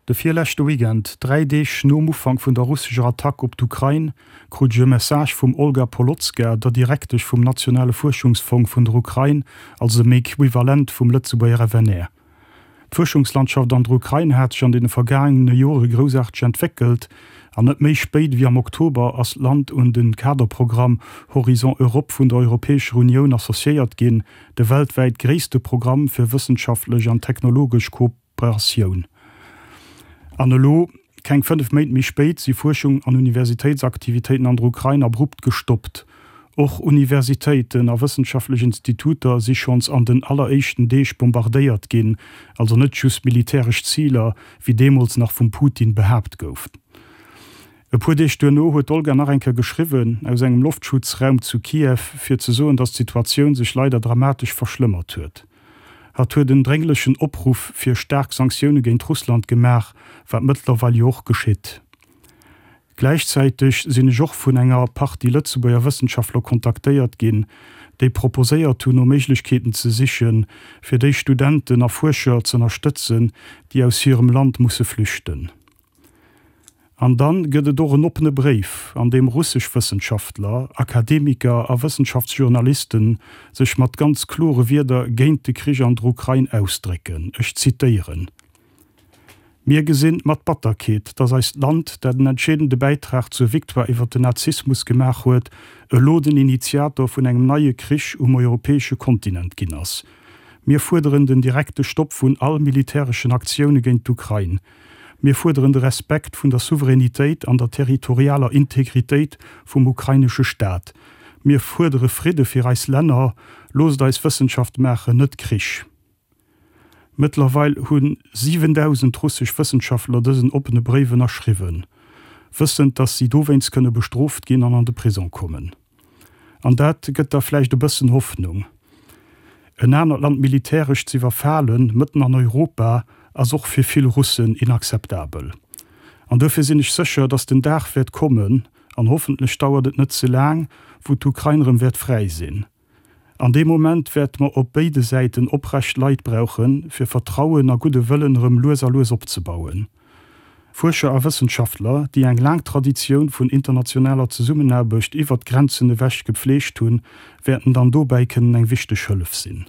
De virleschte Weekend, 3 Deeg nom Ufank vun der russescher Attack op d'Ukrain, krut ech e Message vum Olga Polotska, der Direktesch vum nationale Fuerschungsfong vun der Ukrain, also dem Equivalent vum Lëtzebuerger FNR. D'Fuerschungslandschaft an der Ukrain hat sech an deene vergaangene Jore groussaarteg entwéckelt an net méi spéit ewéi am Oktober ass d'Land un de Kaderprogramm Horizon Europe vun der Europäescher Unioun associéiert ginn, de weltwäit gréisste Programm fir wëssenschaftlech an technologesch Kooperatioun. An elo, keng 5 Méint méi spéit, si Fuerschung an Universitéitsaktivitéiten an der Ukrain abrupt gestoppt. Och Universitéiten a wëssenschaftlech Instituter si schonns an den alleréischten Deeg bombardéiert ginn, also net just militäresch Ziler, wéi deemools nach vum Putin behaapt gouf. E puer Deeg duerno huet d'Olga nach eng Kéier geschriwwen, aus engem Loftschutzraum zu Kiew, fir ze soen, datt d'Situatioun sech leider dramatesch verschlëmmert huet. Hatt huet en drénglechen Opruff fir staark Sanktioune géint Russland gemaach, wat mëttlerweil jo och geschitt. Gläichzäiteg sinn ech och vun enger Partie Lëtzebuerger Wëssenschaftler kontaktéiert ginn, déi proposéiert hunn, no Méiglechkeeten ze sichen, fir déi Studenten a Fuerscher z'ënnerstëtzen, déi aus hirem Land musse flüchten. An dann gëtt et och en oppene Bréif, an deem russesch Wëssenschaftler, Akademiker a Wëssenschaftsjournalisten sech mat ganz klore Wierder géint de Krich an der Ukrain ausdrécken. Ech zitéieren. Mir gesinn mat Batterkeet, dass eist Land, dat en entscheedende Bäitrag zur Victoire iwwer den Nazismus gemaach huet, elo den Initiator vun engem neie Krich um europäesche Kontinent ginn ass. Mir fuerderen den direkte Stopp vun all militäreschen Aktioune géint d'Ukrain. Mir fuerderen de Respekt vun der Souveränitéit an der territorialer Integritéit vum ukrainesche Staat. Mir fuerdere Fridde fir eis Länner. Loosst eis Wëssenschaft maachen, net Krich. Mëttlerweil hu 7.000 russesch Wëssenschaftler dësen oppene Bréif ënnerschriwwen, wëssend, datt si dowéinst kënne bestrooft ginn an an de Prisong kommen. An dat gëtt da vläicht e bëssen Hoffnung. En anert Land militäresch z'iwwerfalen, mëtten an Europa, ass och fir vill Russen inakzeptabel. An duerfir sinn ech sécher, datt den Dag wäert kommen, an hoffentlech dauert et net ze laang, wou d'Ukrain erëm wäert fräi sinn. An deem Moment wäerte mer op béide Säiten oprecht Leit brauchen, fir Vertrauen a gudde Wëllen erëm lues a lues opzebauen. Fuerscher a Wëssenschaftler, déi eng laang Traditioun vun internationaler Zesummenaarbecht iwwert d'Grenzen ewech gepfleegt hunn, wäerten dann dobäi kënnen eng wichteg Hëllef sinn.